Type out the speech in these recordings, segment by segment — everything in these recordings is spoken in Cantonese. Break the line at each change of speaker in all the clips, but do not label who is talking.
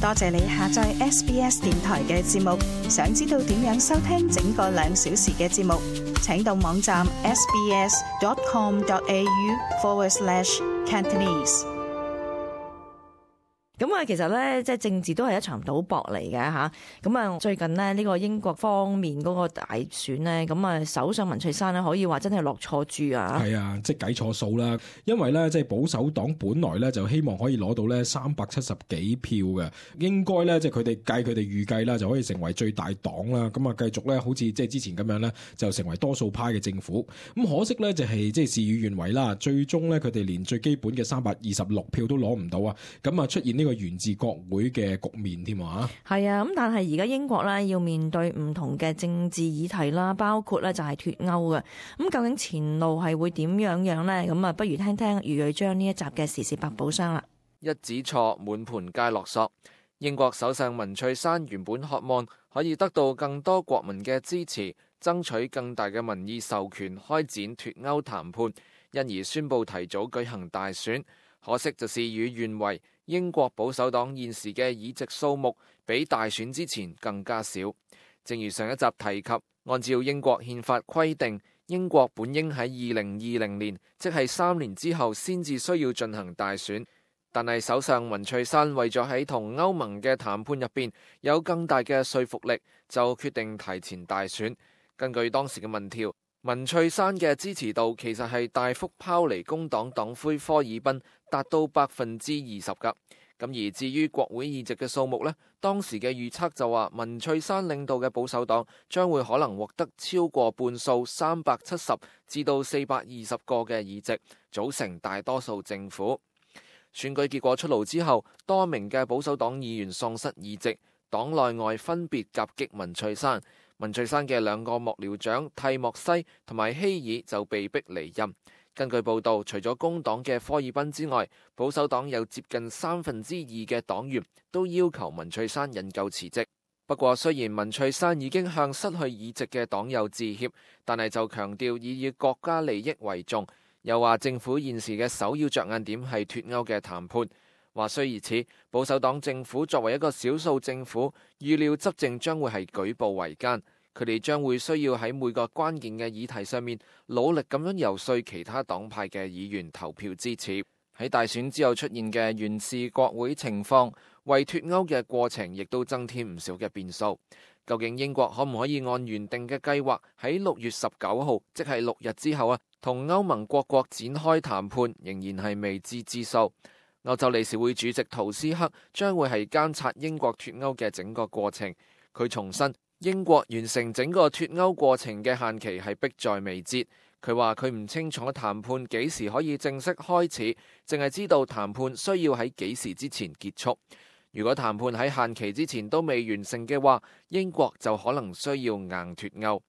多謝你下載 SBS 電台嘅節目。想知道點樣收聽整個2小時嘅節目，請到網站 sbs.com.au/Cantonese。
咁啊，其實咧，即係政治都係一場賭博嚟嘅嚇。咁啊，最近呢，呢個英國方面嗰個大選呢，咁啊，首相文翠珊呢，可以話真係落錯注啊！
係啊，即係計錯數啦。因為咧，即係保守黨本來咧就希望可以攞到咧370幾票嘅，應該咧即係佢哋預計啦，就可以成為最大黨啦。咁啊，繼續咧好似即係之前咁樣咧，就成為多數派嘅政府。咁可惜咧就係即係事與願違啦。最終咧佢哋連最基本嘅326票都攞唔到啊！咁啊出現呢個源自國會嘅局面添啊！
係啊，咁但係而家英國咧要面對唔同嘅政治議題啦，包括咧就係脫歐嘅。咁究竟前路係會點樣呢？咁啊，不如聽聽余瑞章呢一集嘅時事百寶箱啦。
一子錯，滿盤皆落索。英國首相文翠珊原本渴望可以得到更多國民嘅支持，爭取更大嘅民意授權開展脫歐談判，因而宣布提早舉行大選。可惜就事與願違，英國保守黨現時嘅議席數目比大選之前更加少。正如上一集提及，按照英國憲法規定，英國本應喺2020年，即係3年之後先至需要進行大選。但係首相文翠珊為咗喺同歐盟嘅談判入邊有更大嘅說服力，就決定提前大選。根據當時嘅民調，文翠珊嘅支持度其實係大幅拋離工黨黨魁科爾賓，達到20%噶。咁而至於國會議席嘅數目呢，當時嘅預測就話文翠珊領導嘅保守黨將會可能獲得超過半數370至到420個嘅議席，組成大多數政府。選舉結果出爐之後，多名嘅保守黨議員喪失議席，黨內外分別夾擊文翠珊。文翠珊嘅2個幕僚長蒂莫西同埋希爾就被逼離任。根據報道，除咗工黨嘅科爾賓之外，保守黨有接近2/3嘅黨員都要求文翠珊引咎辭職。不過，雖然文翠珊已經向失去議席嘅黨友致歉，但係就強調以國家利益為重，又話政府現時嘅首要着眼點係脫歐嘅談判。話雖如此，保守黨政府作為一個少數政府，預料執政將會係舉步維艱。佢哋將會需要喺每個關鍵嘅議題上面努力咁樣游說其他黨派嘅議員投票支持。喺大選之後出現嘅懸峙國會情況，為脫歐嘅過程亦都增添唔少嘅變數。究竟英國可唔可以按原定嘅計劃喺6月19號，即係6日之後同歐盟各國展開談判，仍然係未知之數。歐洲理事會主席圖斯克將會係監察英國脫歐嘅整個過程。佢重申，英國完成整個脫歐過程嘅限期係迫在眉睫。佢話佢唔清楚談判幾時可以正式開始，淨係知道談判需要喺幾時之前結束。如果談判喺限期之前都未完成嘅話，英國就可能需要硬脫歐。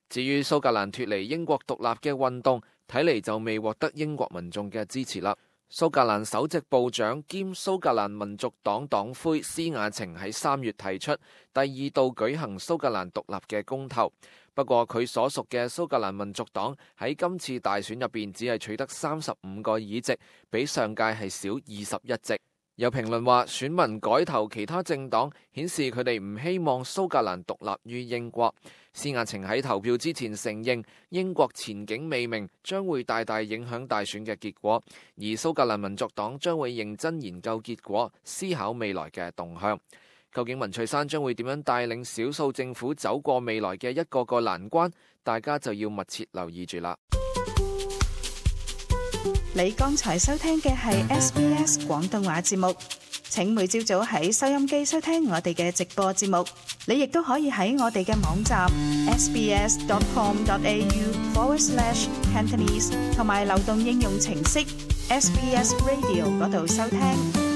至於蘇格蘭脫離英國獨立嘅運動，睇嚟就未獲得英國民眾嘅支持啦。蘇格蘭首席部長兼蘇格蘭民族黨黨魁施雅晴喺3月提出第2度舉行蘇格蘭獨立嘅公投，不過佢所屬嘅蘇格蘭民族黨喺今次大選入邊只係取得35個議席，比上屆係少21席。有評論話，選民改投其他政黨，顯示佢哋唔希望蘇格蘭獨立於英國。施雅晴喺投票之前承認，英國前景未明，將會大大影響大選嘅結果。而蘇格蘭民族黨將會認真研究結果，思考未來嘅動向。究竟文翠珊將會點樣帶領少數政府走過未來嘅一個個難關？大家就要密切留意住啦。
你剛才收聽嘅係 SBS 廣東話節目，請每朝早喺收音機收聽我哋嘅直播節目。你亦都可以喺我哋嘅網站 sbs.com.au/Cantonese 同埋流動應用程式 SBS Radio 嗰度收聽。